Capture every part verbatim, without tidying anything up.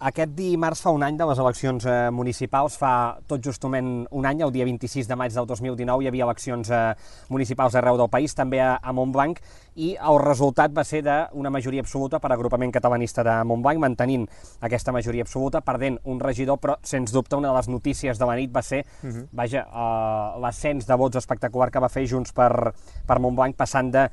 Aquest dimarts fa un any de les eleccions eh, municipals, fa tot justament un any, el dia vint-i-sis de maig del dos mil dinou, hi havia eleccions eh, municipals arreu del país, també a, a Montblanc, i el resultat va ser d'una majoria absoluta per agrupament catalanista de Montblanc, mantenint aquesta majoria absoluta, perdent un regidor, però sens dubte una de les notícies de la nit va ser uh-huh. vaja, eh, l'ascens de vots espectacular que va fer Junts per, per Montblanc, passant de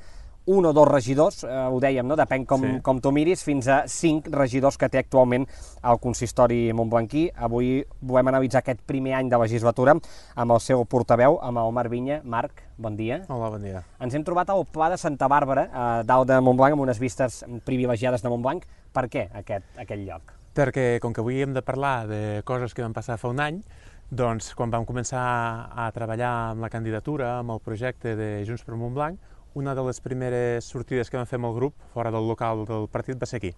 un o dos regidors, eh, ho dèiem, no? Depèn com, sí. com tu miris, fins a cinc regidors que té actualment el consistori montblanquí. Avui volem analitzar aquest primer any de legislatura amb el seu portaveu, amb el Marc Vinya. Marc, bon dia. Hola, bon dia. Ens hem trobat al Pla de Santa Bàrbara, eh, dalt de Montblanc, amb unes vistes privilegiades de Montblanc. Per què aquest, aquest lloc? Perquè, com que avui hem de parlar de coses que van passar fa un any, doncs, quan vam començar a treballar amb la candidatura, amb el projecte de Junts per Montblanc, una de les primeres sortides que vam fer amb el grup, fora del local del partit, va ser aquí.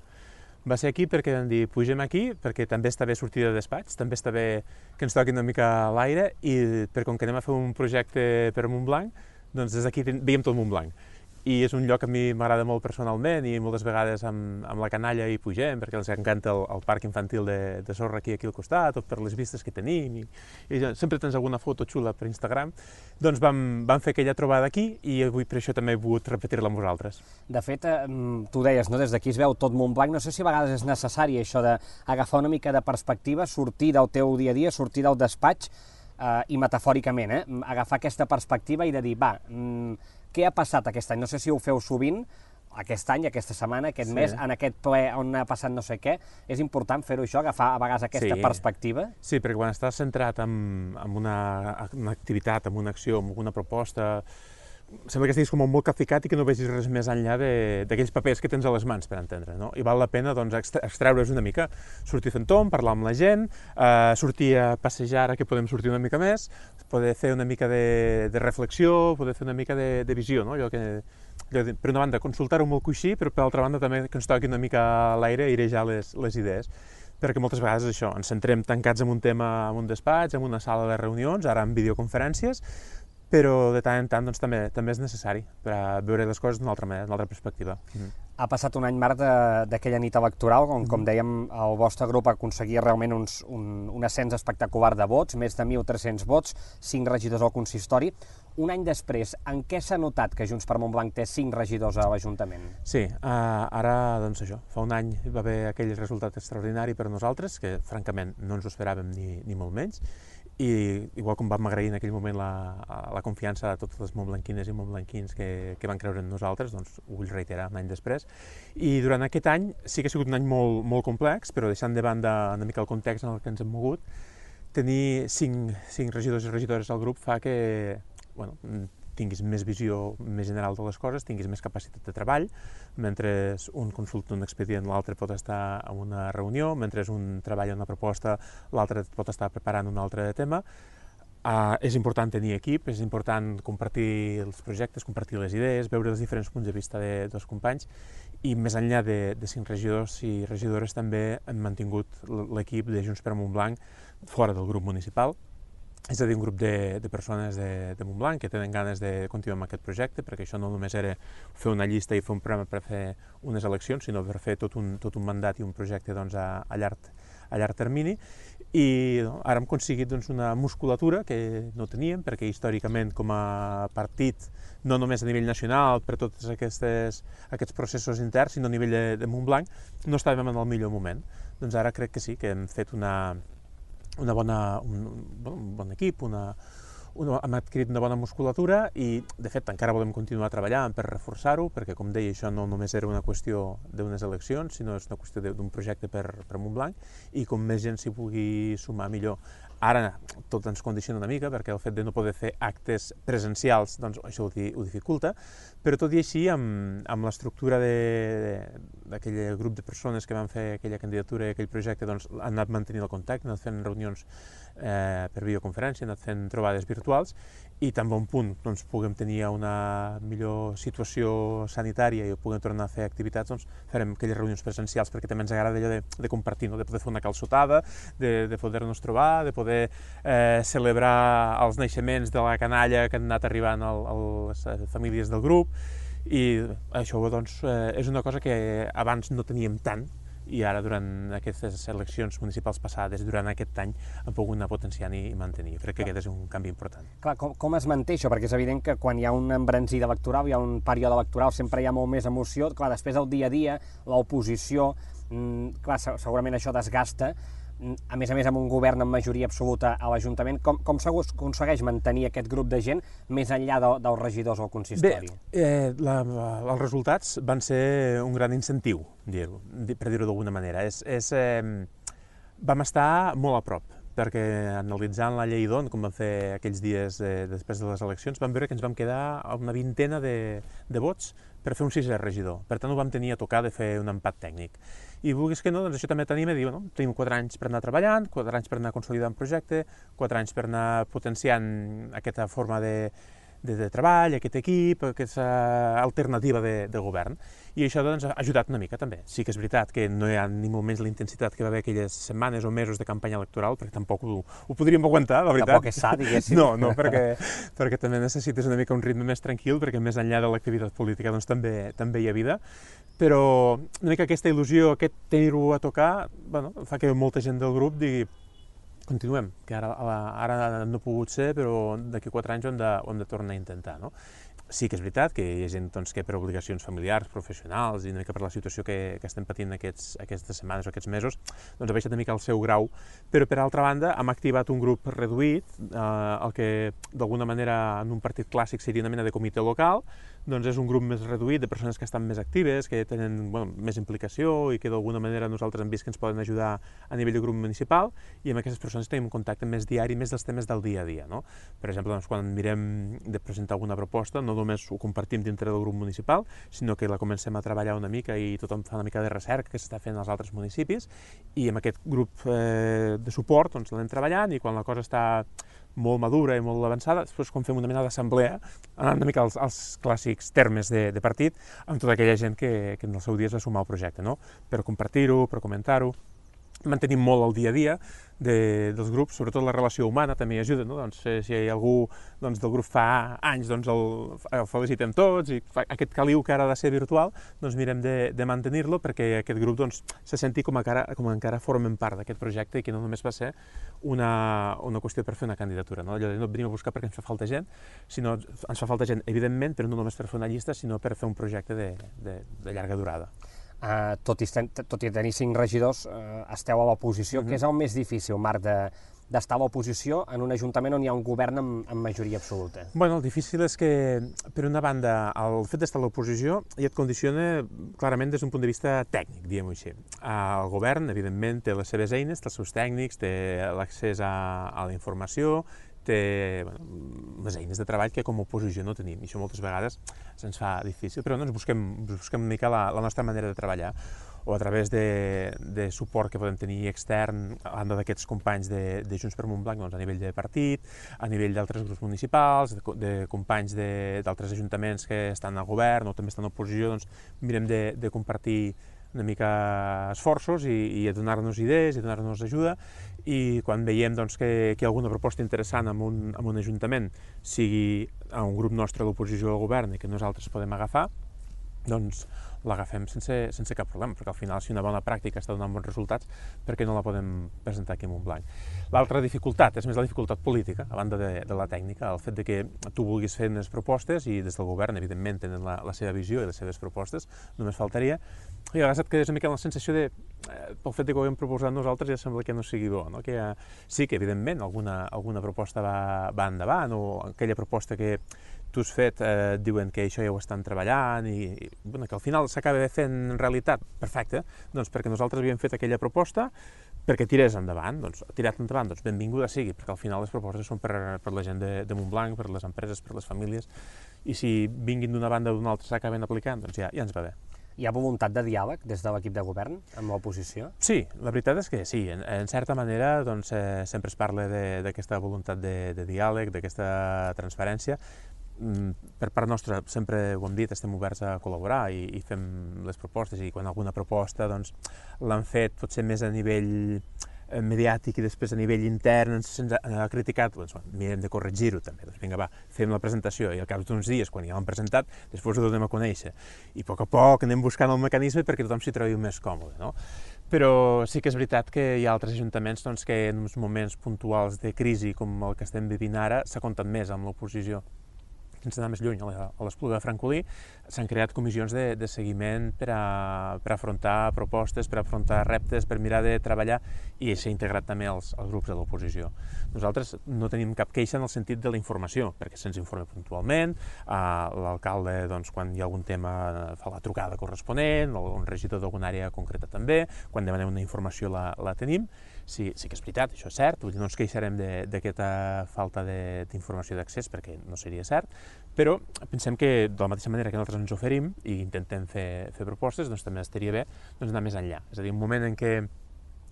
Va ser aquí perquè vam dir, pugem aquí, perquè també està bé sortir de despatx, també està bé que ens toqui una mica l'aire, i per com que anem a fer un projecte per Montblanc, doncs des d'aquí veiem tot Montblanc. I és un lloc que a mi m'agrada molt personalment i moltes vegades amb, amb la canalla hi pugem perquè els encanta el, el parc infantil de, de sorra aquí, aquí al costat, o per les vistes que tenim, i, i sempre tens alguna foto xula per Instagram. Doncs vam, vam fer aquella trobada aquí i avui per això també he volgut repetir-la amb vosaltres. De fet, eh, tu deies, no? Des d'aquí es veu tot Montblanc, no sé si a vegades és necessari això d'agafar una mica de perspectiva, sortir del teu dia a dia, sortir del despatx eh, i metafòricament, eh, agafar aquesta perspectiva i de dir, va, mm, què ha passat aquest any? No sé si ho feu sovint, aquest any, aquesta setmana, aquest sí. mes, en aquest ple on ha passat no sé què. És important fer-ho això, agafar a vegades aquesta sí. perspectiva? Sí, perquè quan estàs centrat en, en una, una activitat, en una acció, en una proposta, sembla que estiguis com molt capficat i que no vegis res més enllà d'aquells papers que tens a les mans, per entendre, no? I val la pena doncs, extreure's una mica, sortir fent tom, parlar amb la gent, eh, sortir a passejar ara que podem sortir una mica més, poder fer una mica de, de reflexió, poder fer una mica de, de visió, no? Allò que, allò de, per una banda, consultar-ho molt coixí, però per altra banda també que ens toqui una mica a l'aire i airejar les, les idees. Perquè moltes vegades això, ens centrem tancats en un tema, en un despatx, en una sala de reunions, ara en videoconferències, però de tant en tant doncs, també, també és necessari per a veure les coses d'una altra manera, d'una altra perspectiva. Mm-hmm. Ha passat un any, Marc, d'aquella nit electoral, on, mm-hmm. com dèiem, el vostre grup aconseguia realment uns, un, un ascens espectacular de vots, més de mil tres-cents vots, cinc regidors al consistori. Un any després, en què s'ha notat que Junts per Montblanc té cinc regidors a l'Ajuntament? Sí, uh, ara, doncs això, fa un any va haver aquell resultat extraordinari per a nosaltres, que francament no ens ho esperàvem ni, ni molt menys, i igual com vam agrair en aquell moment la, la confiança de totes les montblanquines i montblanquins que, que van creure en nosaltres, doncs ho vull reiterar un any després. I durant aquest any sí que ha sigut un any molt, molt complex, però deixant de banda una mica el context en el que ens hem mogut, tenir cinc, cinc regidors i regidores al grup fa que bueno, tinguis més visió més general de les coses, tinguis més capacitat de treball, mentre un consulta un expedient, l'altre pot estar en una reunió, mentre un treballa una proposta, l'altre pot estar preparant un altre tema. Uh, és important tenir equip, és important compartir els projectes, compartir les idees, veure els diferents punts de vista de, dels companys, i més enllà de, de cinc regidors i regidores també hem mantingut l'equip de Junts per Montblanc fora del grup municipal. És a dir, un grup de, de persones de, de Montblanc que tenen ganes de continuar amb aquest projecte, perquè això no només era fer una llista i fer un programa per fer unes eleccions, sinó per fer tot un, tot un mandat i un projecte doncs, a, a, llarg, a llarg termini. I no, ara hem aconseguit doncs, una musculatura que no teníem, perquè històricament com a partit, no només a nivell nacional, per tots aquestes, aquests processos interns, sinó a nivell de, de Montblanc, no estàvem en el millor moment. Doncs ara crec que sí, que hem fet una... Una bona, un, un bon equip, una, una, hem adquirit una bona musculatura i, de fet, encara volem continuar treballant per reforçar-ho, perquè, com deia, això no només era una qüestió d'unes eleccions, sinó és una qüestió d'un projecte per, per Montblanc, i com més gent s'hi vulgui sumar, millor. Ara tot ens condiciona una mica, perquè el fet de no poder fer actes presencials, doncs això ho, di, ho dificulta, però tot i així, amb, amb l'estructura d'aquell grup de persones que van fer aquella candidatura i aquell projecte, doncs han anat mantenint el contacte, han anat fent reunions eh, per videoconferència, han anat fent trobades virtuals, i tan bon punt doncs, puguem tenir una millor situació sanitària i puguem tornar a fer activitats, doncs farem aquelles reunions presencials, perquè també ens agrada allò de, de compartir, no? De poder fer una calçotada, de, de poder-nos trobar, de poder eh, celebrar els naixements de la canalla que han anat arribant a les famílies del grup, i això doncs, eh, és una cosa que abans no teníem tant, i ara durant aquestes eleccions municipals passades, durant aquest any, han pogut anar potenciant i mantenir. Crec que aquest és un canvi important. Clar, com, com es manté això? Perquè és evident que quan hi ha un embranzida electoral, hi ha un període electoral, sempre hi ha molt més emoció. Clar, després del dia a dia, l'oposició, mmm, clar, segurament això desgasta. A més a més, amb un govern amb majoria absoluta a l'Ajuntament, com, com s'aconsegueix mantenir aquest grup de gent més enllà de, dels regidors al consistori? Bé, eh, la, els resultats van ser un gran incentiu, dir-ho, per dir-ho d'alguna manera. És, és, eh, vam estar molt a prop, perquè analitzant la llei d'On, com vam fer aquells dies de, després de les eleccions, vam veure que ens vam quedar a una vintena de, de vots per fer un sisè regidor. Per tant, ho vam tenir a tocar de fer un empat tècnic. I vulguis que no, doncs això també tenim a dir, no? Tenim quatre anys per anar treballant, quatre anys per anar consolidant projecte, quatre anys per anar potenciant aquesta forma de, de, de treball, aquest equip, aquesta alternativa de, de govern. I això doncs, ha ajudat una mica també. Sí que és veritat que no hi ha ni molt menys la intensitat que va haver aquelles setmanes o mesos de campanya electoral, perquè tampoc ho, ho podríem aguantar, la veritat. Tampoc és sa, diguéssim. No, no, perquè, perquè també necessites una mica un ritme més tranquil, perquè més enllà de l'activitat política doncs, també, també hi ha vida. Però una mica aquesta il·lusió, aquest tenir-ho a tocar, bueno, fa que molta gent del grup digui continuem, que ara, ara no ha pogut ser, però d'aquí quatre anys ho hem de, ho hem de tornar a intentar, no? Sí que és veritat que hi ha gent doncs, que per obligacions familiars, professionals i una mica per la situació que, que estem patint aquests, aquestes setmanes o aquests mesos, doncs ha baixat una mica el seu grau, però per altra banda hem activat un grup reduït, eh, el que d'alguna manera en un partit clàssic seria una mena de comitè local, doncs és un grup més reduït de persones que estan més actives, que tenen bueno, més implicació i que d'alguna manera nosaltres hem vist que ens poden ajudar a nivell de grup municipal i amb aquestes persones tenim un contacte més diari, més dels temes del dia a dia. No? Per exemple, doncs, quan mirem de presentar alguna proposta, no només ho compartim dintre del grup municipal, sinó que la comencem a treballar una mica i tothom fa una mica de recerca que s'està fent als altres municipis i amb aquest grup eh, de suport doncs, l'anem treballant i quan la cosa està molt madura i molt avançada, després quan fem una mena d'assemblea, anant una mica als, als clàssics termes de, de partit, amb tota aquella gent que, que en el seu dia es va sumar al projecte, no? Per compartir-ho, per comentar-ho. Mantenim molt el dia a dia de, dels grups, sobretot la relació humana també ajuda, no? Doncs, eh, si algú doncs, del grup fa anys, doncs el, el felicitem tots i fa, aquest caliu que ara ha de ser virtual, doncs mirem de, de mantenir-lo perquè aquest grup doncs, se senti com, a cara, com encara formen part d'aquest projecte i que no només va ser una, una qüestió per fer una candidatura, no? Allò de no venim a buscar perquè ens fa falta gent, sinó ens fa falta gent, evidentment, però no només per fer una llista, sinó per fer un projecte de, de, de llarga durada. Uh, tot, i, tot i tenir cinc regidors, uh, esteu a l'oposició. Mm-hmm. Què és el més difícil, Marc, de, d'estar a l'oposició en un ajuntament on hi ha un govern amb, amb majoria absoluta? Bueno, el difícil és que, per una banda, el fet d'estar a l'oposició ja et condiciona clarament des d'un punt de vista tècnic, diguem-ho així. El govern, evidentment, té les seves eines, té els seus tècnics, té l'accés a, a la informació, té bueno, les eines de treball que com a oposició no tenim, i això moltes vegades se'ns fa difícil, però no, ens busquem, busquem una mica la, la nostra manera de treballar, o a través de, de suport que podem tenir extern, a banda d'aquests companys de, de Junts per Montblanc, doncs, a nivell de partit, a nivell d'altres grups municipals, de, de companys d'altres ajuntaments que estan al govern o també estan a l'oposició, doncs mirem de, de compartir una mica esforços i, i a donar-nos idees i donar-nos ajuda, i quan veiem doncs, que, que hi ha alguna proposta interessant en un, en un ajuntament, sigui a un grup nostre a l'oposició al govern i que nosaltres podem agafar, doncs l'agafem sense, sense cap problema, perquè al final si una bona pràctica està donant bons resultats, per què no la podem presentar aquí a Montblanc? L'altra dificultat és més la dificultat política, a banda de, de la tècnica, el fet de que tu vulguis fer unes propostes i des del govern, evidentment, tenen la, la seva visió i les seves propostes, només faltaria, i a vegades et quedes una mica amb la sensació de, eh, pel fet de que ho hem proposat nosaltres ja sembla que no sigui bo, no? Que ja, sí que evidentment alguna, alguna proposta va, va endavant, o aquella proposta que tu has fet, eh, diuen que això ja ho estan treballant i, i bueno, que al final s'acaba fent realitat, perfecte, doncs perquè nosaltres havíem fet aquella proposta perquè tirés endavant, doncs tirat endavant, doncs benvinguda sigui, perquè al final les propostes són per, per la gent de, de Montblanc, per les empreses, per les famílies, i si vinguin d'una banda o d'una altra s'acaben aplicant, doncs ja, ja ens va bé. Hi ha voluntat de diàleg des de l'equip de govern amb l'oposició? Sí, la veritat és que sí. En, en certa manera doncs, eh, sempre es parla d'aquesta voluntat de, de diàleg, d'aquesta transparència. Per part nostra, sempre ho hem dit, estem oberts a col·laborar i, i fem les propostes, i quan alguna proposta doncs, l'han fet potser més a nivell mediàtic i després a nivell intern se'ns ha criticat, doncs mirem de corregir-ho també, doncs vinga va, fem la presentació i al cap d'uns dies, quan ja l'han presentat, després ho donem a conèixer i a poc a poc anem buscant el mecanisme perquè tothom s'hi trobi més còmode, no? però sí que és veritat que hi ha altres ajuntaments doncs, que en uns moments puntuals de crisi com el que estem vivint ara s'ha comptat més amb l'oposició. Sense anar més lluny, a l'Espluga de Francolí s'han creat comissions de, de seguiment per, a, per afrontar propostes, per afrontar reptes, per mirar de treballar, i s'ha integrat també els, els grups de l'oposició. Nosaltres no tenim cap queixa en el sentit de la informació, perquè se'ns informa puntualment, eh, l'alcalde, doncs, quan hi ha algun tema, fa la trucada corresponent, un regidor d'alguna àrea concreta també, quan demanem una informació la, la tenim. Sí, sí que és veritat, això és cert, vull dir, no ens queixarem d'aquesta falta d'informació d'accés, perquè no seria cert, però pensem que de la mateixa manera que nosaltres ens oferim i intentem fer, fer propostes, doncs també estaria bé doncs, anar més enllà. És a dir, un moment en què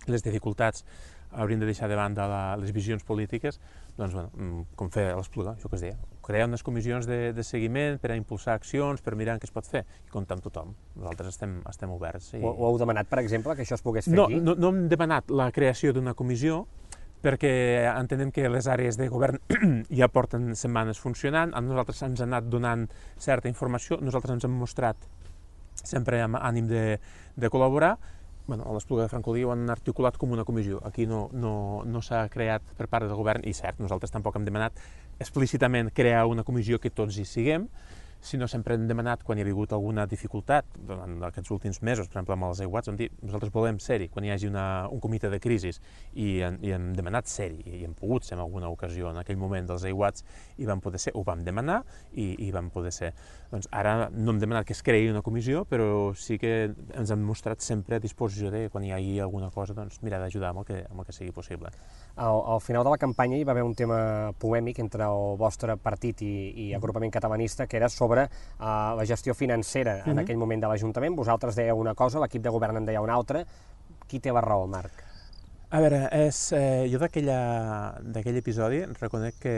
les dificultats haurien de deixar de banda la, les visions polítiques, doncs, bueno, com fer a l'Espluga, això que es deia, crear unes comissions de, de seguiment per a impulsar accions, per mirar què es pot fer, i comptar amb tothom. Nosaltres estem, estem oberts. I... Ho, ho heu demanat, per exemple, que això es pogués fer no, aquí? No, no hem demanat la creació d'una comissió, perquè entenem que les àrees de govern ja porten setmanes funcionant, a nosaltres ens han anat donant certa informació, nosaltres ens hem mostrat sempre amb ànim de, de col·laborar. Bueno, a l'Espluga de Francolí ho han articulat com una comissió. Aquí no, no, no s'ha creat per part del govern, i cert, nosaltres tampoc hem demanat explícitament crear una comissió que tots hi siguem, sinó sempre hem demanat, quan hi ha hagut alguna dificultat, en aquests últims mesos, per exemple amb els aiguats, hem dit, nosaltres volem ser-hi, quan hi hagi una, un comitè de crisis, i, i hem demanat ser-hi, i hem pogut ser en alguna ocasió, en aquell moment dels aiguats, i vam poder ser, ho vam demanar, i, i vam poder ser. Doncs ara no hem demanat que es creï una comissió, però sí que ens hem mostrat sempre a disposició de, quan hi hagi alguna cosa, doncs mirar d'ajudar amb, el que, amb el que sigui possible. Al, al final de la campanya hi va haver un tema polèmic entre el vostre partit i, i agrupament catalanista, que era sobre sobre uh, la gestió financera en uh-huh. aquell moment de l'Ajuntament. Vosaltres dèieu una cosa, l'equip de govern en deia una altra. Qui té la raó, Marc? A veure, és, eh, jo d'aquell episodi reconec que,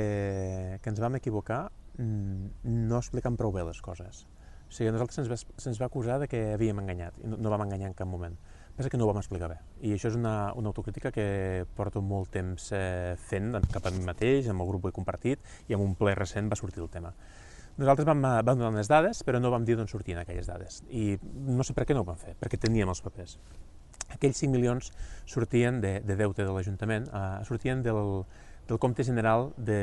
que ens vam equivocar no explicant prou bé les coses. O sigui, a nosaltres se'ns va, se'ns va acusar de que havíem enganyat, i no, no vam enganyar en cap moment. Pensa que no ho vam explicar bé. I això és una, una autocrítica que porto molt temps eh, fent cap a mi mateix, amb el grup ho he compartit, i en un ple recent va sortir el tema. Nosaltres vam, vam donar unes dades, però no vam dir d'on sortien aquelles dades. I no sé per què no ho vam fer, perquè teníem els papers. Aquells cinc milions sortien de, de deute de l'Ajuntament, eh, sortien del, del compte general de,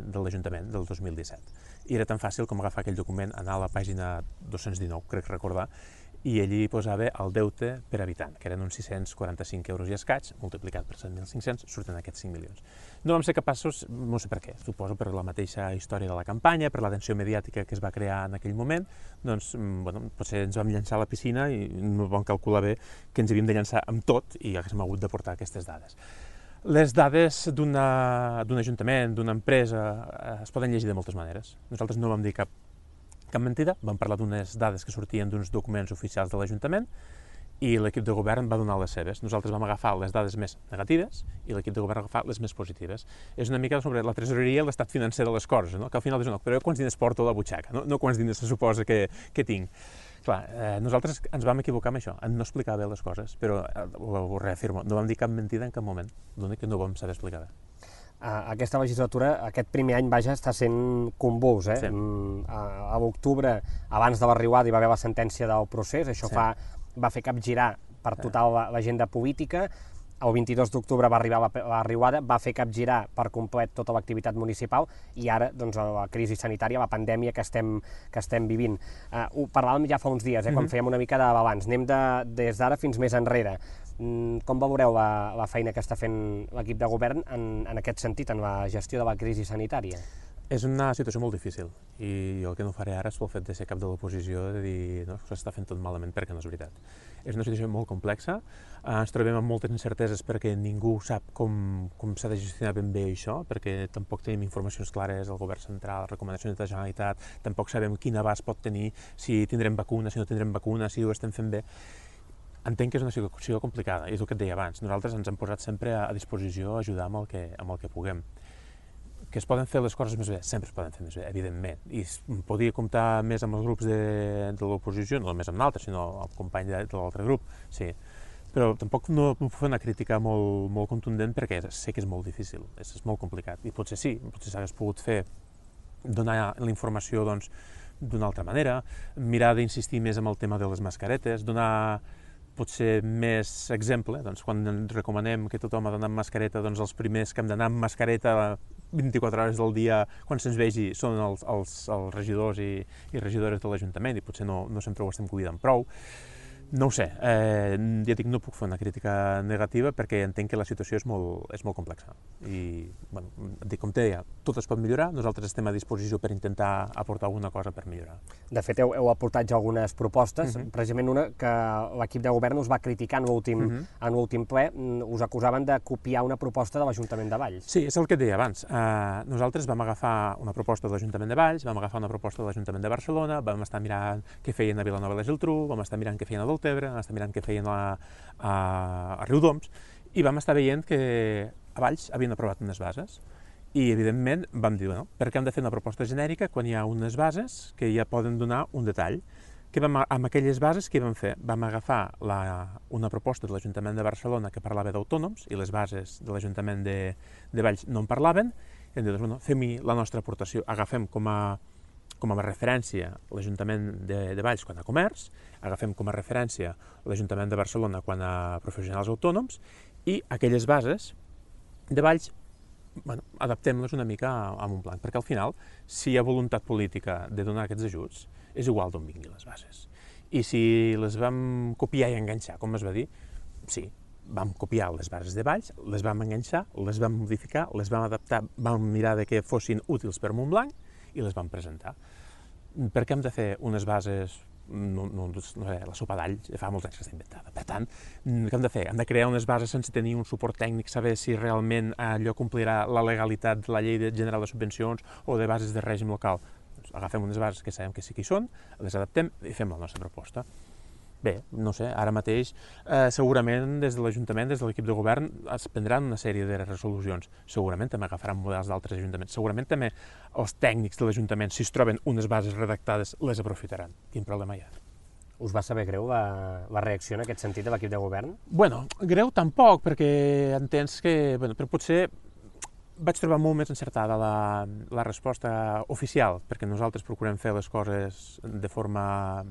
de l'Ajuntament del dos mil disset. I era tan fàcil com agafar aquell document, anar a la pàgina dos-cents dinou, crec recordar, i allí posava el deute per habitant, que eren uns sis-cents quaranta-cinc euros i escaig, multiplicat per set mil cinc-cents, surten aquests cinc milions. No vam ser capaços, no sé per què, suposo per la mateixa història de la campanya, per l'atenció mediàtica que es va crear en aquell moment, doncs, bueno, potser ens vam llançar a la piscina i no vam calcular bé que ens havíem de llançar amb tot i haguéssim hagut de portar aquestes dades. Les dades d'un ajuntament, d'una empresa, es poden llegir de moltes maneres. Nosaltres no vam dir cap cap mentida, vam parlar d'unes dades que sortien d'uns documents oficials de l'Ajuntament i l'equip de govern va donar les seves. Nosaltres vam agafar les dades més negatives i l'equip de govern va agafar les més positives. És una mica sobre la tresoreria i l'estat financer de les coses, no? Que al final dius, no, però quants diners porto a la butxaca, no, no quants diners se suposa que, que tinc. Clar, eh, nosaltres ens vam equivocar amb això, en no explicar bé les coses, però eh, ho, ho reafirmo, no vam dir cap mentida en cap moment, l'únic que no vam saber explicar bé. Uh, aquesta legislatura, aquest primer any, vaja, està sent convuls, eh? Sí. Mm, a a l'octubre, abans de la riuada, hi va haver la sentència del procés, això sí. fa, va fer capgirar per total l'agenda política. El vint-i-dos d'octubre va arribar la, la riuada, va fer capgirar per complet tota l'activitat municipal i ara, doncs, la crisi sanitària, la pandèmia que estem, que estem vivint. Uh, ho parlàvem ja fa uns dies, eh, mm-hmm. quan fèiem una mica de balanç. Anem de, des d'ara fins més enrere. Com valoreu la, la feina que està fent l'equip de govern en, en aquest sentit, en la gestió de la crisi sanitària? És una situació molt difícil i jo el que no faré ara és pel fet de ser cap de l'oposició de dir no, que s'està fent tot malament perquè no és veritat. És una situació molt complexa, ens trobem amb moltes incerteses perquè ningú sap com, com s'ha de gestionar ben bé això, perquè tampoc tenim informacions clares del govern central, recomanacions de la Generalitat, tampoc sabem quin abast pot tenir, si tindrem vacuna, si no tindrem vacuna, si ho estem fent bé. Entenc que és una situació complicada, és el que et deia abans. Nosaltres ens hem posat sempre a disposició a ajudar amb el que, amb el que puguem. Que es poden fer les coses més bé, sempre es poden fer més bé, evidentment. I podria comptar més amb els grups de, de l'oposició, no només amb l'altre, sinó amb el company de, de l'altre grup, sí. Però tampoc no, no puc fer una crítica molt, molt contundent perquè sé que és molt difícil, és, és molt complicat. I potser sí, potser s'hagués pogut fer, donar la informació doncs, d'una altra manera, mirar d'insistir més en el tema de les mascaretes, donar potser més exemple, doncs quan ens recomanem que tothom ha d'anar amb mascareta, doncs els primers que hem d'anar amb mascareta vint-i-quatre hores del dia, quan se'ns vegi, són els, els, els regidors i, i regidores de l'Ajuntament, i potser no, no sempre ho estem cuidant prou. No ho sé, eh, ja dic, no puc fer una crítica negativa perquè entenc que la situació és molt, és molt complexa. I, bueno, dic, com te deia, tot es pot millorar, nosaltres estem a disposició per intentar aportar alguna cosa per millorar. De fet, heu, heu aportat ja algunes propostes, uh -huh. precisament una que l'equip de govern us va criticar en l'últim uh -huh. en l'últim ple, us acusaven de copiar una proposta de l'Ajuntament de Valls. Sí, és el que et deia abans. Uh, nosaltres vam agafar una proposta de l'Ajuntament de Valls, vam agafar una proposta de l'Ajuntament de Barcelona, vam estar mirant què feien a Vilanova i la Geltrú, vam estar mirant què feien a Deltebre, vam estar mirant què feien a, a, a Riudoms, i vam estar veient que a Valls havien aprovat unes bases. I, evidentment, vam dir, bueno, per què hem de fer una proposta genèrica quan hi ha unes bases que ja poden donar un detall? Que vam, amb aquelles bases, què vam fer? Vam agafar la, una proposta de l'Ajuntament de Barcelona que parlava d'autònoms i les bases de l'Ajuntament de, de Valls no en parlaven, i hem dit, bueno, fem-hi la nostra aportació, agafem com a, com a referència l'Ajuntament de, de Valls quan a comerç, agafem com a referència l'Ajuntament de Barcelona quan a professionals autònoms, i aquelles bases de Valls, bueno, adaptem-les una mica a, a un blanc, perquè al final, si hi ha voluntat política de donar aquests ajuts, és igual d'on vinguin les bases. I si les vam copiar i enganxar, com es va dir, sí, vam copiar les bases de Valls, les vam enganxar, les vam modificar, les vam adaptar, vam mirar de que fossin útils per Montblanc i les vam presentar. Per què hem de fer unes bases, no, no, no sé, la sopa d'all fa molts anys que està inventada. Per tant, què hem de fer? Hem de crear unes bases sense tenir un suport tècnic, saber si realment allò complirà la legalitat de la llei general de subvencions o de bases de règim local. Doncs agafem unes bases que sabem que sí que hi són, les adaptem i fem la nostra proposta. Bé, no sé, ara mateix eh, segurament des de l'Ajuntament, des de l'equip de govern es prendran una sèrie de resolucions, segurament també agafaran models d'altres ajuntaments, segurament també els tècnics de l'Ajuntament, si es troben unes bases redactades, les aprofitaran. Quin problema hi ha? Us va saber greu la, la reacció en aquest sentit de l'equip de govern? Bueno, greu tampoc, perquè entens que, bueno, però potser vaig trobar molt més encertada la, la resposta oficial, perquè nosaltres procurem fer les coses de forma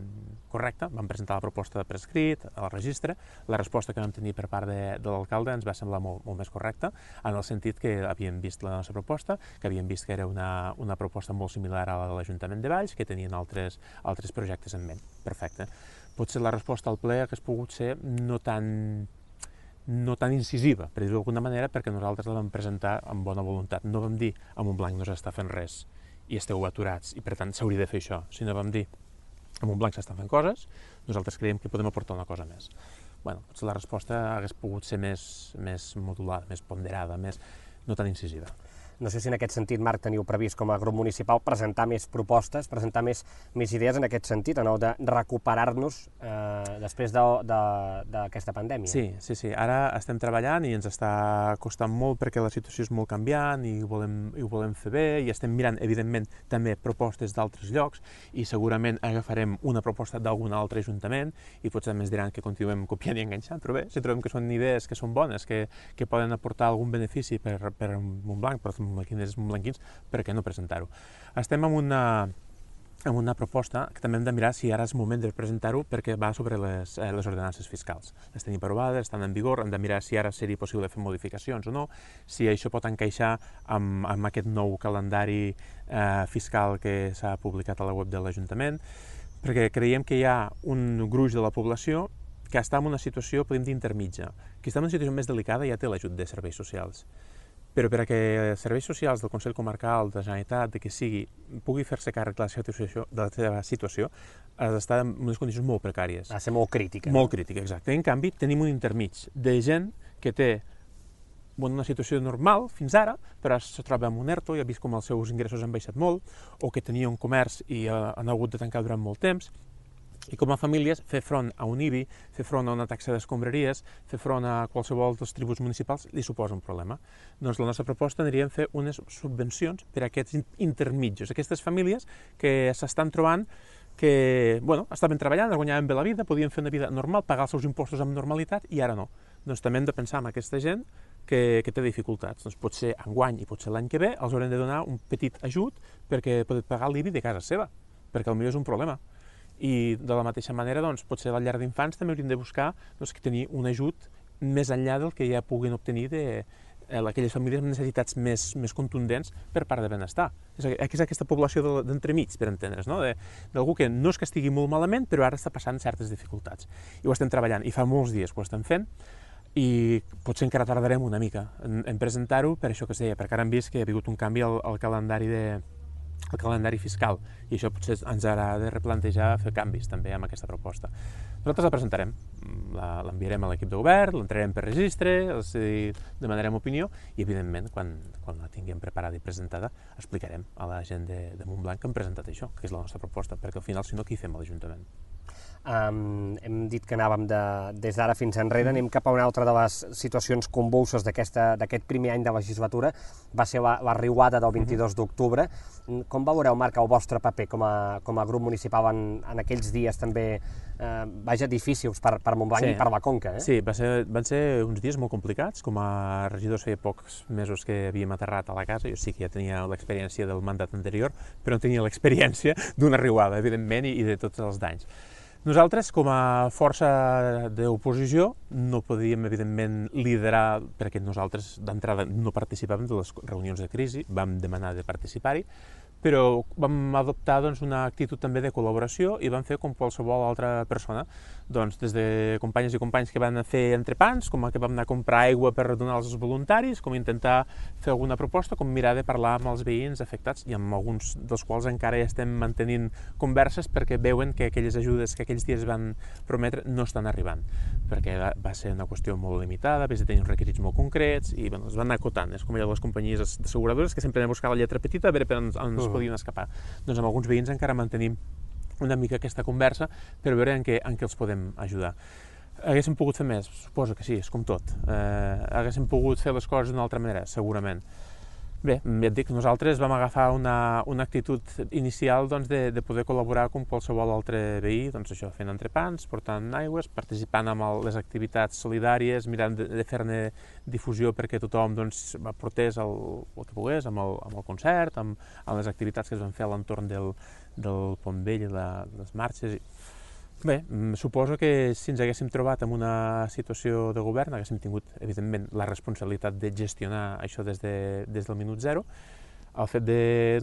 correcta. Vam presentar la proposta per escrit, al registre. La resposta que vam tenir per part de, de l'alcalde ens va semblar molt, molt més correcta, en el sentit que havien vist la nostra proposta, que havien vist que era una, una proposta molt similar a la de l'Ajuntament de Valls, que tenien altres, altres projectes en ment. Perfecte. Potser la resposta al ple hagués pogut ser no tan no tan incisiva, per dir-ho d'alguna manera, perquè nosaltres la vam presentar amb bona voluntat. No vam dir a Montblanc no s'està fent res i esteu aturats i per tant s'hauria de fer això, sinó vam dir a Montblanc s'estan fent coses, nosaltres creiem que podem aportar una cosa més. Bueno, potser la resposta hagués pogut ser més, més modulada, més ponderada, més, no tan incisiva. No sé si en aquest sentit, Marc, teniu previst com a grup municipal presentar més propostes, presentar més, més idees en aquest sentit, no? De recuperar-nos eh, després d'aquesta de, de, pandèmia. Sí, sí, sí. Ara estem treballant i ens està costant molt perquè la situació és molt canviant i ho volem, i ho volem fer bé i estem mirant, evidentment, també propostes d'altres llocs i segurament agafarem una proposta d'algun altre ajuntament i potser més diran que continuem copiant i enganxant, però bé, si trobem que són idees que són bones, que, que poden aportar algun benefici per, per Montblanc, per montblanquins, montblanquins, per què no presentar-ho? Estem amb una, amb una proposta que també hem de mirar si ara és moment de presentar-ho perquè va sobre les, eh, les ordenances fiscals. Les tenim aprovades, estan en vigor, hem de mirar si ara seria possible fer modificacions o no, si això pot encaixar amb, amb aquest nou calendari eh, fiscal que s'ha publicat a la web de l'Ajuntament, perquè creiem que hi ha un gruix de la població que està en una situació, podem dir, intermitja. Qui està en una situació més delicada ja té l'ajut de serveis socials. Però perquè els serveis socials del Consell Comarcal, de la Generalitat, de que sigui, pugui fer-se càrrec de la seva situació, de la seva situació, ha d'estar en unes condicions molt precàries. Ha de ser molt crítica. Molt crítica, exacte. En canvi, tenim un intermig de gent que té bueno, una situació normal fins ara, però se troba amb un ERTO i ha vist com els seus ingressos han baixat molt, o que tenia un comerç i uh, han hagut de tancar durant molt temps, i com a famílies fer front a un I B I, fer front a una taxa d'escombraries, fer front a qualsevol dels tributs municipals li suposa un problema. Doncs la nostra proposta aniria a fer unes subvencions per a aquests intermitjos, aquestes famílies que s'estan trobant que, bueno, estaven treballant, guanyaven bé la vida, podien fer una vida normal, pagar els seus impostos amb normalitat i ara no. Doncs també hem de pensar en aquesta gent que, que té dificultats. Doncs potser enguany i potser l'any que ve els haurem de donar un petit ajut perquè poden pagar l'I B I de casa seva, perquè potser és un problema. I de la mateixa manera, doncs, potser a la llar d'infants també hauríem de buscar doncs, que tenir un ajut més enllà del que ja puguin obtenir de eh, aquelles famílies amb necessitats més, més contundents per part de benestar. És, és aquesta població d'entremig, per entendre's, no? d'algú que no és que estigui molt malament, però ara està passant certes dificultats. I ho estem treballant, i fa molts dies que ho estem fent, i potser encara tardarem una mica en, en presentar-ho per això que es deia, perquè ara hem vist que hi ha hagut un canvi al, al calendari de el calendari fiscal, i això potser ens haurà de replantejar fer canvis també amb aquesta proposta. Nosaltres la presentarem, l'enviarem a l'equip de govern, l'entrarem per registre, els demanarem opinió i, evidentment, quan, quan la tinguem preparada i presentada, explicarem a la gent de, de Montblanc que hem presentat això, que és la nostra proposta, perquè al final, si no, què hi fem a l'Ajuntament? Um, hem dit que anàvem de, des d'ara fins enrere, anem cap a una altra de les situacions convulses d'aquest primer any de legislatura, va ser la, la riuada del vint-i-dos d'octubre. Com veureu, Marc, el vostre paper com a, com a grup municipal en, en aquells dies també, eh, vaja, difícils per, per Montblanc sí. i per la Conca? Eh? Sí, va ser, van ser uns dies molt complicats. Com a regidors feia pocs mesos que havíem aterrat a la casa, jo sí que ja tenia l'experiència del mandat anterior, però no tenia l'experiència d'una riuada, evidentment, i, i de tots els danys. Nosaltres, com a força d'oposició, no podíem, evidentment, liderar, perquè nosaltres d'entrada no participàvem de les reunions de crisi, vam demanar de participar-hi, però vam adoptar doncs, una actitud també de col·laboració i vam fer com qualsevol altra persona, doncs, des de companyes i companys que van fer entrepans, com que vam anar a comprar aigua per donar als voluntaris, com intentar fer alguna proposta, com mirar de parlar amb els veïns afectats, i amb alguns dels quals encara ja estem mantenint converses perquè veuen que aquelles ajudes que aquells dies van prometre no estan arribant, perquè va ser una qüestió molt limitada, a de tenir uns requisits molt concrets, i bueno, es van anar acotant. És com allò de les companyies asseguradores, que sempre anem a buscar la lletra petita a veure per on ens uh-huh. podien escapar. Doncs amb alguns veïns encara mantenim una mica aquesta conversa per veure en què, en què els podem ajudar. Haguéssim pogut fer més? Suposo que sí, és com tot. Eh, haguéssim pogut fer les coses d'una altra manera? Segurament. Bé, ja et dic, nosaltres vam agafar una, una actitud inicial doncs, de, de poder col·laborar com qualsevol altre veí, doncs això, fent entrepans, portant aigües, participant en el, les activitats solidàries, mirant de, de fer-ne difusió perquè tothom doncs, aportés el, el que pogués, amb el, amb el concert, amb, amb les activitats que es van fer a l'entorn del, del Pont Vell i la, les marxes. I... Bé, suposo que si ens haguéssim trobat en una situació de govern, haguéssim tingut, evidentment, la responsabilitat de gestionar això des, de, des del minut zero. El fet de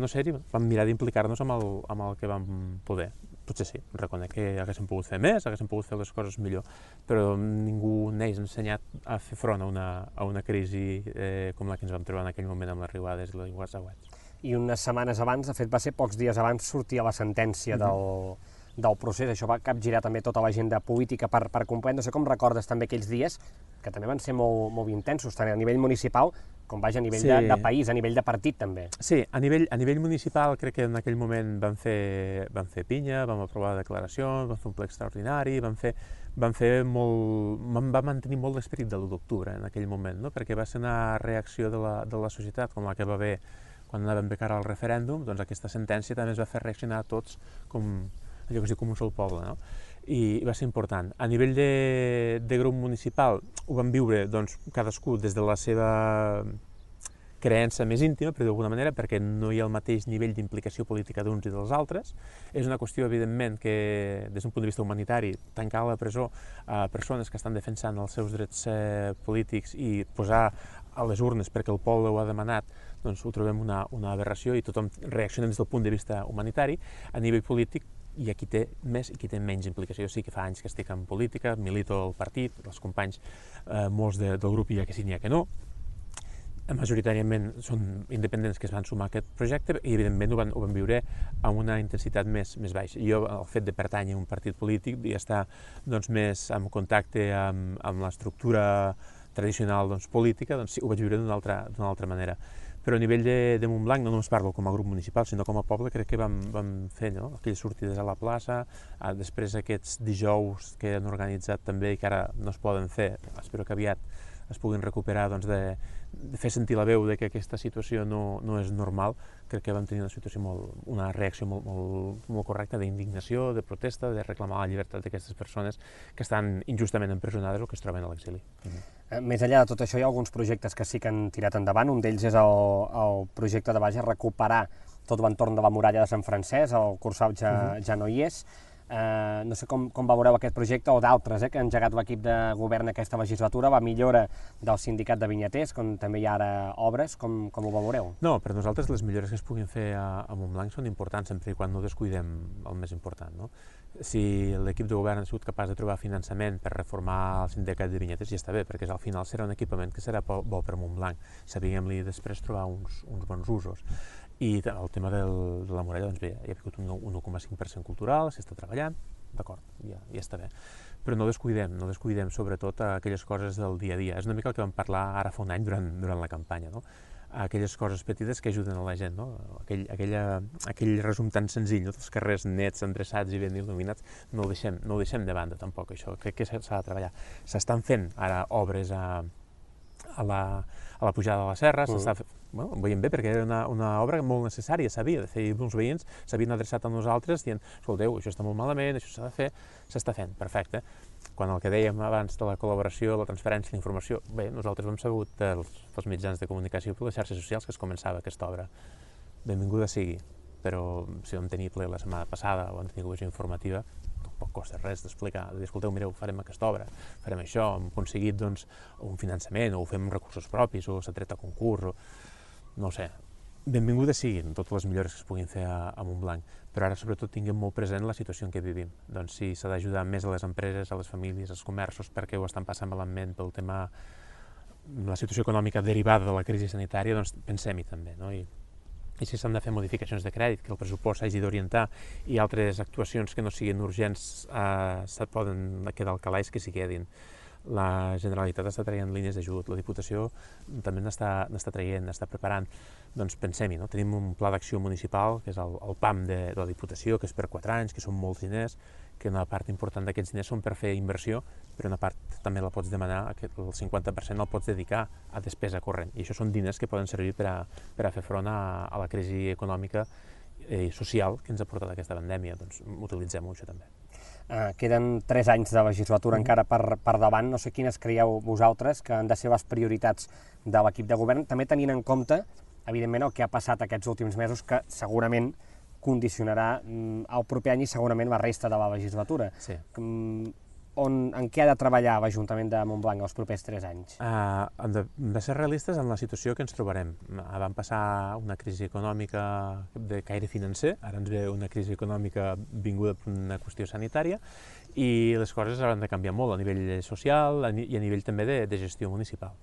no ser-hi, vam mirar d'implicar-nos amb, el, amb el que vam poder. Potser sí, reconec que haguéssim pogut fer més, haguéssim pogut fer les coses millor, però ningú n'hagués ensenyat a fer front a una, a una crisi eh, com la que ens vam trobar en aquell moment amb les riuades i les aiguats. I unes setmanes abans, de fet va ser pocs dies abans, sortia la sentència mm-hmm. del... del procés, això va capgirar també tota l'agenda política per, per comprendre. No sé com recordes també aquells dies, que també van ser molt, molt intensos, tant a nivell municipal com vaja a nivell sí. de, de país, a nivell de partit també. Sí, a nivell, a nivell municipal crec que en aquell moment vam fer, vam fer pinya, vam aprovar declaracions, vam fer un ple extraordinari, vam fer, vam fer molt, vam mantenir molt l'esperit de l'u d'octubre en aquell moment, no? Perquè va ser una reacció de la, de la societat com la que va haver quan anàvem de cara al referèndum, doncs aquesta sentència també es va fer reaccionar a tots com allò que es diu com un sol poble, no? I va ser important. A nivell de, de grup municipal ho vam viure doncs, cadascú des de la seva creença més íntima, però d'alguna manera, perquè no hi ha el mateix nivell d'implicació política d'uns i dels altres. És una qüestió, evidentment, que des d'un punt de vista humanitari, tancar a la presó a persones que estan defensant els seus drets eh, polítics i posar a les urnes perquè el poble ho ha demanat, doncs ho trobem una, una aberració i tothom reacciona des del punt de vista humanitari. A nivell polític, hi ha qui té més i qui té menys implicació. Sí que fa anys que estic en política, milito al partit, els companys, eh, molts de, del grup hi ha que sí, n'hi ha que no. Majoritàriament són independents que es van sumar a aquest projecte i, evidentment, ho van, ho van viure amb una intensitat més, més baixa. Jo, el fet de pertànyer a un partit polític i estar doncs, més en contacte amb, amb l'estructura tradicional doncs, política, doncs, sí, ho vaig viure d'una altra, d'una altra manera. Però a nivell de, de Montblanc, no només parlo com a grup municipal, sinó com a poble, crec que vam, vam fer no? aquelles sortides a la plaça, a, després aquests dijous que han organitzat també i que ara no es poden fer, espero que aviat es puguin recuperar, doncs, de, de fer sentir la veu de que aquesta situació no, no és normal. Crec que vam tenir una situació molt, una reacció molt, molt, molt correcta d'indignació, de protesta, de reclamar la llibertat d'aquestes persones que estan injustament empresonades o que es troben a l'exili. Uh-huh. Més enllà de tot això, hi ha alguns projectes que sí que han tirat endavant. Un d'ells és el, el projecte de base recuperar tot l'entorn de la muralla de Sant Francesc, el Cursal ja, uh-huh. ja no hi és. Eh, no sé com, com valoreu aquest projecte o d'altres eh, que ha engegat l'equip de govern aquesta legislatura, la millora del sindicat de vinyaters, com també hi ha ara obres, com, com ho valoreu? No, per nosaltres les millores que es puguin fer a, a Montblanc són importants sempre i quan no descuidem el més important, no? Si l'equip de govern ha sigut capaç de trobar finançament per reformar el sindicat de vinyaters, ja està bé, perquè al final serà un equipament que serà bo per Montblanc. Sabíem-li després trobar uns, uns bons usos. I el tema del, de la muralla, doncs bé, hi ha hagut un un un coma cinc per cent cultural, s'està treballant, d'acord, ja, ja està bé. Però no descuidem, no descuidem sobretot aquelles coses del dia a dia. És una mica el que vam parlar ara fa un any durant, durant la campanya, no? Aquelles coses petites que ajuden a la gent, no? Aquell, aquella, aquell resum tan senzill, no? Els carrers nets, endreçats i ben il·luminats, no ho deixem, no ho deixem de banda tampoc, això. Crec que s'ha de treballar. S'estan fent ara obres a, a, la, a la pujada de la serra, uh-huh. s'està bueno, ho veiem bé perquè era una, una obra molt necessària, s'havia de fer, i uns veïns s'havien adreçat a nosaltres dient, escolteu, això està molt malament, això s'ha de fer, s'està fent, perfecte. Quan el que dèiem abans de la col·laboració, la transferència, la informació, bé, nosaltres hem sabut dels, dels mitjans de comunicació i per les xarxes socials que es començava aquesta obra. Benvinguda sigui, però si vam tenir ple la setmana passada o vam tenir comissió informativa, tampoc costa res d'explicar, de dir, escolteu, mireu, farem aquesta obra, farem això, hem aconseguit doncs, un finançament, o ho fem amb recursos propis, o s'ha tret a concurs, o no ho sé, benvinguda siguin totes les millores que es puguin fer a, a Montblanc, però ara sobretot tinguem molt present la situació en què vivim. Doncs si s'ha d'ajudar més a les empreses, a les famílies, als comerços, perquè ho estan passant malament pel tema, la situació econòmica derivada de la crisi sanitària, doncs pensem-hi també, no? I, i si s'han de fer modificacions de crèdit, que el pressupost s'hagi d'orientar i altres actuacions que no siguin urgents eh, se poden quedar al calaix, que s'hi quedin. La Generalitat està traient línies d'ajut, la Diputació també n'està traient, n'està preparant. Doncs pensem-hi, no? Tenim un pla d'acció municipal, que és el, el P A M de, de la Diputació, que és per quatre anys, que són molts diners, que una part important d'aquests diners són per fer inversió, però una part també la pots demanar, el cinquanta per cent el pots dedicar a despesa corrent. I això són diners que poden servir per a, per a fer front a, a la crisi econòmica i social que ens ha portat aquesta pandèmia. Doncs utilitzem-ho, això també. Uh, queden tres anys de legislatura mm. encara per, per davant. No sé quines creieu vosaltres que han de ser les prioritats de l'equip de govern, també tenint en compte, evidentment, el que ha passat aquests últims mesos, que segurament condicionarà mm, el proper any i segurament la resta de la legislatura. Sí. Mm, on, en què ha de treballar l'Ajuntament de Montblanc els propers tres anys? Uh, hem, de, hem de ser realistes en la situació que ens trobarem. Uh, vam passar una crisi econòmica de caire financer, ara ens ve una crisi econòmica vinguda per una qüestió sanitària, i les coses hauran de canviar molt a nivell social i a nivell també de, de gestió municipal.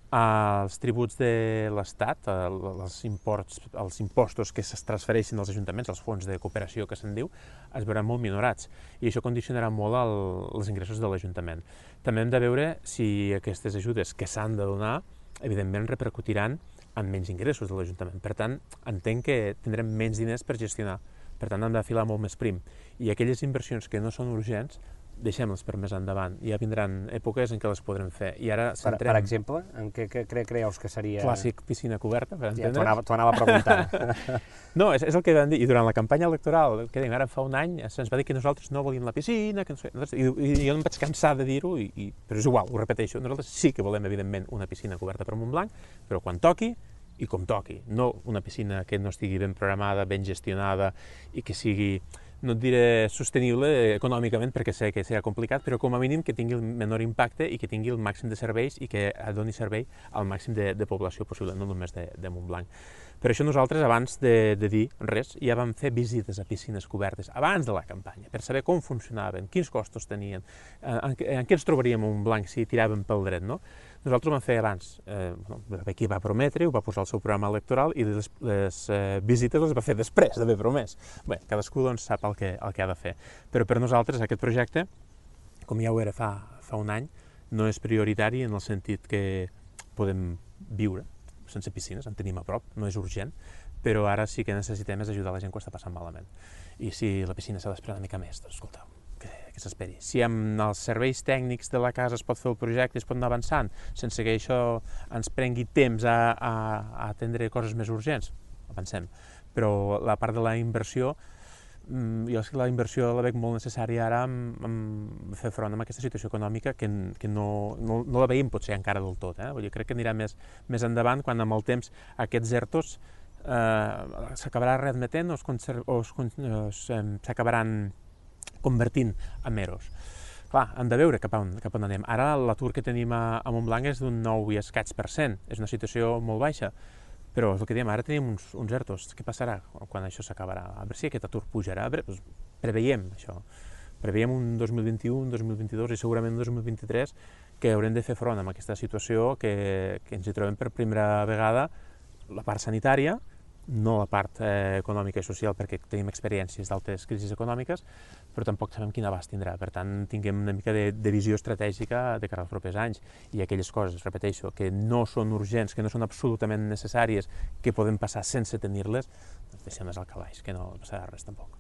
Uh, els tributs de l'Estat, uh, els, imports, els impostos que es transfereixen als ajuntaments, els fons de cooperació que se'n diu, es veuran molt minorats i això condicionarà molt el, els ingressos de l'Ajuntament. També hem de veure si aquestes ajudes que s'han de donar, evidentment, repercutiran en menys ingressos de l'Ajuntament. Per tant, entenc que tindrem menys diners per gestionar. Per tant, hem de filar molt més prim. I aquelles inversions que no són urgents, deixem-les per més endavant. Ja vindran èpoques en què les podrem fer. I ara centrem... Per, per exemple, en què, què cre creus que seria... Clàssic piscina coberta, per entendre's. Ja, t'ho anava, anava a preguntar. No, és, és el que vam dir. I durant la campanya electoral, que dèiem, ara fa un any, se'ns va dir que nosaltres no volíem la piscina, que no sé, i, i jo em vaig cansar de dir-ho, i, i, però és igual, ho repeteixo. Nosaltres sí que volem, evidentment, una piscina coberta per Montblanc, però quan toqui, i com toqui. No una piscina que no estigui ben programada, ben gestionada, i que sigui... no et diré sostenible econòmicament perquè sé que serà complicat, però com a mínim que tingui el menor impacte i que tingui el màxim de serveis i que doni servei al màxim de, de població possible, no només de, de Montblanc. Per això nosaltres, abans de, de dir res, ja vam fer visites a piscines cobertes, abans de la campanya, per saber com funcionaven, quins costos tenien, en, en què ens trobaríem a Montblanc si tiràvem pel dret, no? Nosaltres ho vam fer abans. Eh, bueno, aquí va prometre, ho va posar al seu programa electoral i les, les eh, visites les va fer després d'haver promès. Bé, cadascú doncs, sap el que, el que ha de fer. Però per nosaltres aquest projecte, com ja ho era fa, fa un any, no és prioritari en el sentit que podem viure sense piscines, en tenim a prop, no és urgent, però ara sí que necessitem és ajudar la gent que ho està passant malament. I si la piscina s'ha d'esperar una mica més, doncs escolteu, que, que s'esperi. Si amb els serveis tècnics de la casa es pot fer el projecte i es pot anar avançant, sense que això ens prengui temps a, a, a atendre coses més urgents, avancem. Però la part de la inversió, jo és que la inversió la veig molt necessària ara amb, amb fer front a aquesta situació econòmica que, que no, no, no la veiem potser encara del tot. Eh? Vull dir, crec que anirà més, més endavant quan amb el temps aquests ERTOs eh, s'acabarà readmetent o s'acabaran convertint en eros. Clar, hem de veure cap on, cap on anem. Ara l'atur que tenim a, a Montblanc és d'un nou i escaig per cent. És una situació molt baixa, però és el que diem, ara tenim uns, uns ertos. Què passarà quan això s'acabarà? A veure si aquest atur pujarà. A veure, doncs, preveiem això. Preveiem un dos mil vint-i-u, un dos mil vint-i-dos i segurament un dos mil vint-i-tres que haurem de fer front amb aquesta situació que, que ens hi trobem per primera vegada, la part sanitària, no la part eh, econòmica i social, perquè tenim experiències d'altres crisis econòmiques, però tampoc sabem quin abast tindrà. Per tant, tinguem una mica de, de visió estratègica de cara als propers anys. I aquelles coses, repeteixo, que no són urgents, que no són absolutament necessàries, que podem passar sense tenir-les, doncs deixem-les al calaix, que no passarà res tampoc.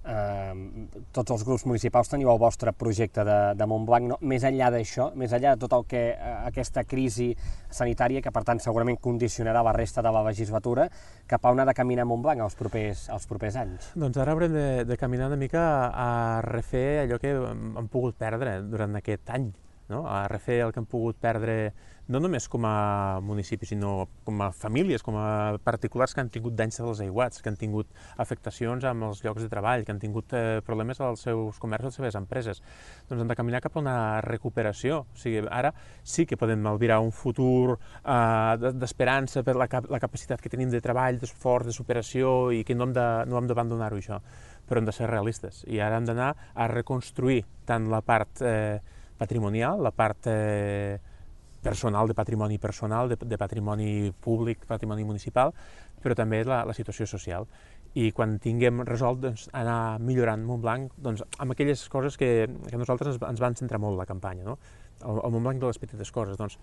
Uh, tots els grups municipals teniu el vostre projecte de, de Montblanc, no? Més enllà d'això, més enllà de tot el que uh, aquesta crisi sanitària, que per tant segurament condicionarà la resta de la legislatura, cap a on ha de caminar Montblanc els propers, els propers anys? Doncs ara haurem de, de caminar una mica a refer allò que hem pogut perdre durant aquest any, no? A refer el que hem pogut perdre no només com a municipi, sinó com a famílies, com a particulars que han tingut danys dels aiguats, que han tingut afectacions amb els llocs de treball, que han tingut eh, problemes als seus comerços, a les seves empreses. Doncs hem de caminar cap a una recuperació. O sigui, ara sí que podem albirar un futur eh, d'esperança per la, cap la capacitat que tenim de treball, d'esforç, de superació, i que no hem de, no hem d'abandonar-ho, això. Però hem de ser realistes. I ara hem d'anar a reconstruir tant la part eh, patrimonial, la part eh, personal, de patrimoni personal, de, de patrimoni públic, patrimoni municipal, però també la, la situació social. I quan tinguem resolt, doncs, anar millorant Montblanc, doncs, amb aquelles coses que, que nosaltres ens, ens van centrar molt la campanya, no? El, el Montblanc de les petites coses. Doncs,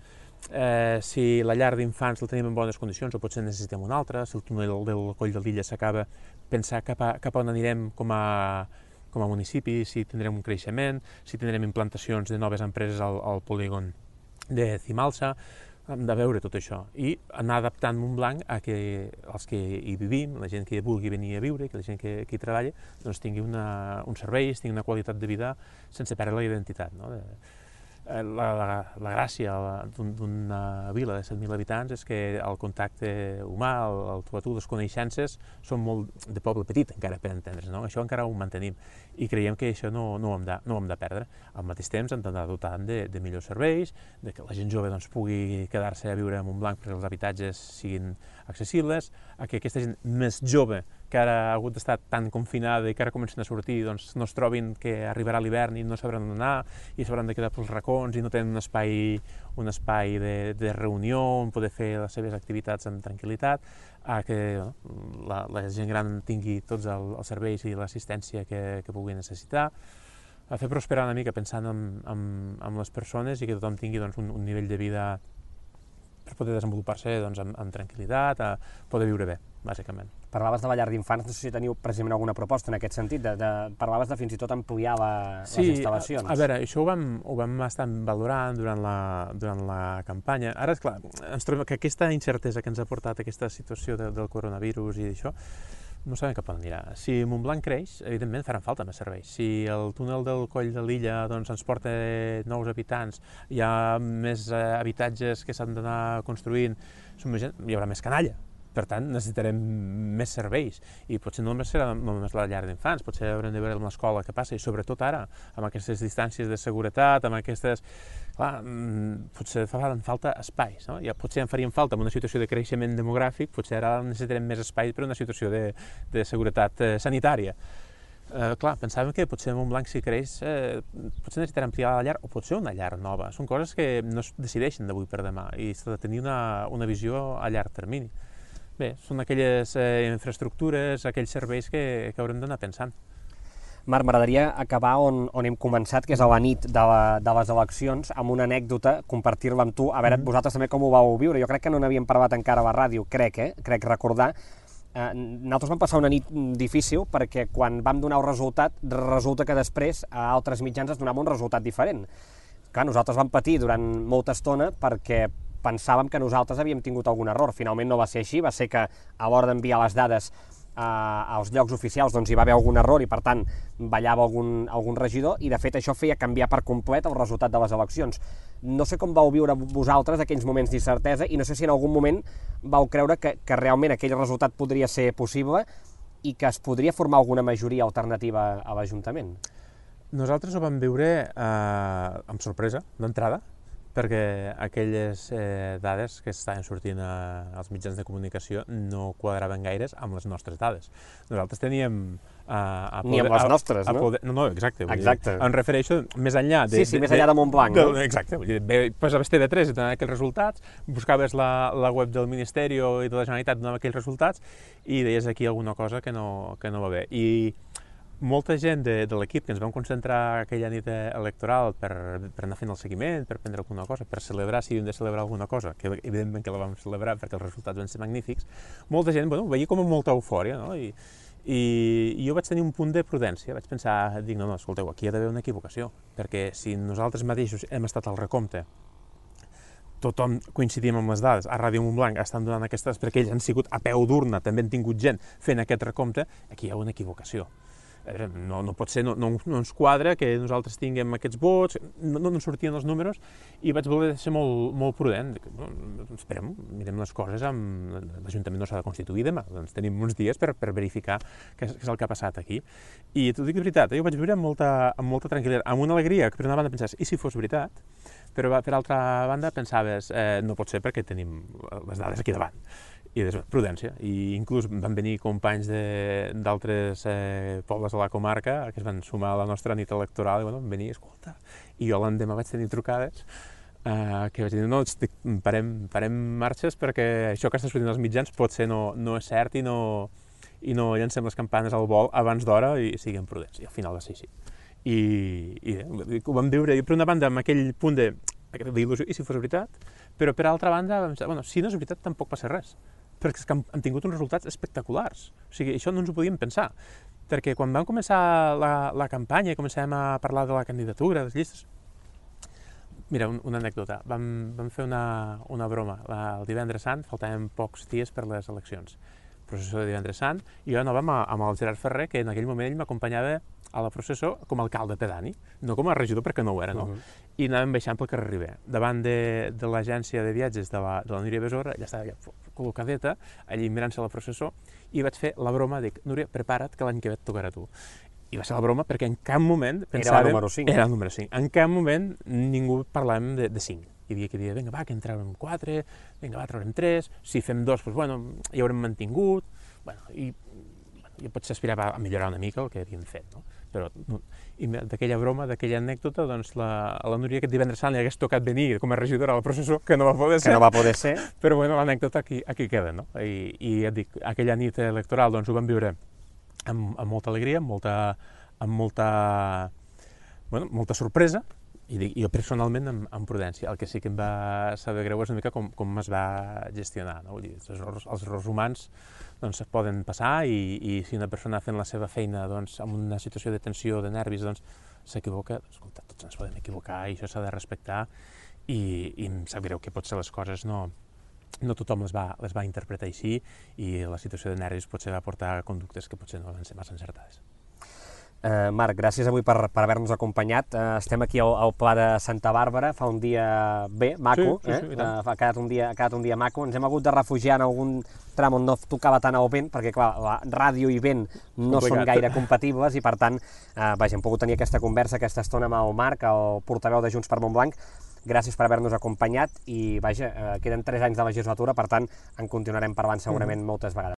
eh, si la llar d'infants la tenim en bones condicions, o potser necessitem una altra, si el túnel del Coll de Lilla s'acaba, pensar cap a, cap a on anirem com a, com a municipi, si tindrem un creixement, si tindrem implantacions de noves empreses al, al polígon de Cimalsa. Hem de veure tot això i anar adaptant Montblanc a que els que hi vivim, la gent que vulgui venir a viure, que la gent que, que hi treballa, doncs tingui una, uns serveis, tingui una qualitat de vida sense perdre la identitat, no? De, La, la, la gràcia d'una vila de set mil habitants és que el contacte humà, el, el tu a tu, les coneixences, són molt de poble petit encara per entendre's, no? Això encara ho mantenim i creiem que això no, no, ho hem de, no ho hem de perdre. Al mateix temps hem d'anar dotant de, de millors serveis, de que la gent jove doncs, pugui quedar-se a viure a Montblanc perquè els habitatges siguin accessibles, a que aquesta gent més jove que ara ha hagut d'estar tan confinada i que ara comencen a sortir, doncs no es trobin que arribarà l'hivern i no sabran on anar i s'hauran de quedar pels racons i no tenen un espai, un espai de, de reunió on poder fer les seves activitats amb tranquil·litat, a que no, la, la gent gran tingui tots el, els serveis i l'assistència que, que pugui necessitar, a fer prosperar una mica pensant en, en, en les persones i que tothom tingui doncs, un, un nivell de vida per poder desenvolupar-se doncs, amb, amb tranquil·litat, a poder viure bé, bàsicament. Parlaves de la llar d'infants, no sé si teniu precisament alguna proposta en aquest sentit, de, de, parlaves de fins i tot ampliar la, sí, les instal·lacions. Sí, a, a veure, això ho vam, ho vam estar valorant durant la, durant la campanya. Ara, esclar, ens trobem que aquesta incertesa que ens ha portat aquesta situació de, del coronavirus i això, no sabem cap on anirà. Si Montblanc creix, evidentment faran falta més serveis. Si el túnel del Coll de Lilla doncs, ens porta nous habitants, hi ha més eh, habitatges que s'han d'anar construint, hi haurà més canalla. Per tant, necessitarem més serveis i potser no només serà només la llar d'infants, potser haurem de veure amb l'escola què passa i sobretot ara, amb aquestes distàncies de seguretat, amb aquestes... Clar, potser fan falta espais, no? Ja potser en farien falta en una situació de creixement demogràfic, potser ara necessitarem més espai per una situació de, de seguretat eh, sanitària. Eh, clar, pensàvem que potser Montblanc si creix, eh, potser necessitarà ampliar la llar o potser una llar nova. Són coses que no es decideixen d'avui per demà i s'ha de tenir una, una visió a llarg termini. Bé, són aquelles eh, infraestructures, aquells serveis que, que haurem d'anar pensant. Marc, m'agradaria acabar on, on hem començat, que és a la nit de, la, de les eleccions, amb una anècdota, compartir-la amb tu. A veure, mm-hmm. vosaltres també com ho vau viure? Jo crec que no n'havíem parlat encara a la ràdio, crec, eh? Crec recordar. Eh, nosaltres vam passar una nit difícil perquè quan vam donar el resultat, resulta que després a altres mitjans es donava un resultat diferent. Clar, nosaltres vam patir durant molta estona perquè pensàvem que nosaltres havíem tingut algun error. Finalment no va ser així, va ser que a l'hora d'enviar les dades eh, als llocs oficials doncs hi va haver algun error i per tant ballava algun, algun regidor i de fet això feia canviar per complet el resultat de les eleccions. No sé com vau viure vosaltres aquells moments d'incertesa i no sé si en algun moment vau creure que, que realment aquell resultat podria ser possible i que es podria formar alguna majoria alternativa a l'Ajuntament. Nosaltres ho vam viure eh, amb sorpresa, d'entrada, perquè aquelles eh, dades que estaven sortint a, als mitjans de comunicació no quadraven gaires amb les nostres dades. Nosaltres teníem... Eh, a poder, Ni amb les nostres, a, a no? Poder, no, no, exacte. exacte. Dir, em refereixo més enllà... De, sí, sí, de, més enllà de Montblanc, de, no? De, exacte. Vull dir, posaves T V tres i donaven aquells resultats, buscaves la, la web del Ministeri i de la Generalitat i donava aquells resultats i deies aquí alguna cosa que no, que no va bé. I molta gent de, de l'equip que ens vam concentrar aquella nit electoral per, per anar fent el seguiment, per prendre alguna cosa, per celebrar si havíem de celebrar alguna cosa, que evidentment que la vam celebrar perquè els resultats van ser magnífics, molta gent, bueno, ho veia com amb molta eufòria, no? I, i, i jo vaig tenir un punt de prudència, vaig pensar, dic, no, no, escolteu, aquí hi ha d'haver una equivocació, perquè si nosaltres mateixos hem estat al recompte, tothom coincidim amb les dades, a Ràdio Montblanc estan donant aquestes, perquè ells han sigut a peu d'urna, també han tingut gent fent aquest recompte, aquí hi ha una equivocació. No, no pot ser, no, no, no ens quadra que nosaltres tinguem aquests vots, no, no ens sortien els números i vaig voler ser molt, molt prudent. No, esperem, mirem les coses, amb l'Ajuntament no s'ha de constituir demà, doncs tenim uns dies per, per verificar què és, què és el que ha passat aquí. I t'ho dic de veritat, jo vaig viure amb molta, amb molta tranquil·litat, amb una alegria que per una banda pensaves, i si fos veritat? Però per altra banda pensaves, eh, no pot ser perquè tenim les dades aquí davant. I des, prudència, i inclús van venir companys d'altres eh, pobles de la comarca que es van sumar a la nostra nit electoral i bueno, van venir, escolta, i jo l'endemà vaig tenir trucades eh, que vaig dir, no, estic, parem, parem marxes perquè això que està sortint als mitjans potser no, no és cert i no, i no llancem les campanes al vol abans d'hora i siguem prudents, i al final va ser així. I, i ho vam viure, per una banda, amb aquell punt de d'il·lusió, i si fos veritat, però per altra banda, vam pensar, bueno, si no és veritat tampoc passa res, perquè és que han, han tingut uns resultats espectaculars. O sigui, això no ens ho podíem pensar, perquè quan vam començar la, la campanya i començàvem a parlar de la candidatura, de les llistes, mira, un, una anècdota, vam, vam fer una, una broma, la, el divendres sant, faltaven pocs dies per les eleccions, processó de divendres sant, i jo anàvem amb el Gerard Ferrer, que en aquell moment ell m'acompanyava a la processó com a alcalde pedani, no com a regidor perquè no ho era, no? Uh -huh. I anàvem baixant pel carrer Ribé. Davant de, de l'agència de viatges de la, de la Núria Besora, ja estava ja col·locadeta, allí mirant-se la processó, i vaig fer la broma, dic, Núria, prepara't que l'any que ve et tocarà a tu. I va ser la broma perquè en cap moment pensàvem... Era el número cinc. Era el número cinc. En cap moment ningú parlàvem de, de cinc. Hi havia qui deia, vinga, va, que en traurem quatre, vinga, va, traurem tres, si fem dos, doncs, bueno, ja haurem mantingut, bueno, i jo potser aspirava a millorar una mica el que havíem fet, no? Però no, d'aquella broma, d'aquella anècdota, doncs la, a la Núria aquest divendres sant li hagués tocat venir com a regidora a la processó, que no va poder ser. Que no va poder ser. Però bueno, l'anècdota aquí, aquí queda, no? I, i et dic, aquella nit electoral doncs ho vam viure amb, amb molta alegria, amb molta, amb molta, bueno, molta sorpresa, i dic, jo personalment amb, amb prudència. El que sí que em va saber greu és una mica com, com es va gestionar, no? Vull dir, els errors, els errors humans doncs poden passar i, i si una persona fent la seva feina doncs, en una situació de tensió, de nervis, doncs s'equivoca, doncs, escolta, tots ens podem equivocar i això s'ha de respectar i, i em sap greu que potser les coses no, no tothom les va, les va interpretar així i la situació de nervis potser va portar a conductes que potser no van ser massa encertades. Uh, Marc, gràcies avui per, per haver-nos acompanyat. Uh, estem aquí al, al Pla de Santa Bàrbara, fa un dia bé, maco, sí, sí, sí, eh? uh, ha, quedat un dia, ha quedat un dia maco. Ens hem hagut de refugiar en algun tram on no tocava tant el vent, perquè clar, la ràdio i vent no Complicat. Són gaire compatibles i per tant, uh, vaja, hem pogut tenir aquesta conversa, aquesta estona amb el Marc, el portaveu de Junts per Montblanc. Gràcies per haver-nos acompanyat i vaja, uh, queden tres anys de legislatura, per tant, en continuarem parlant segurament moltes vegades.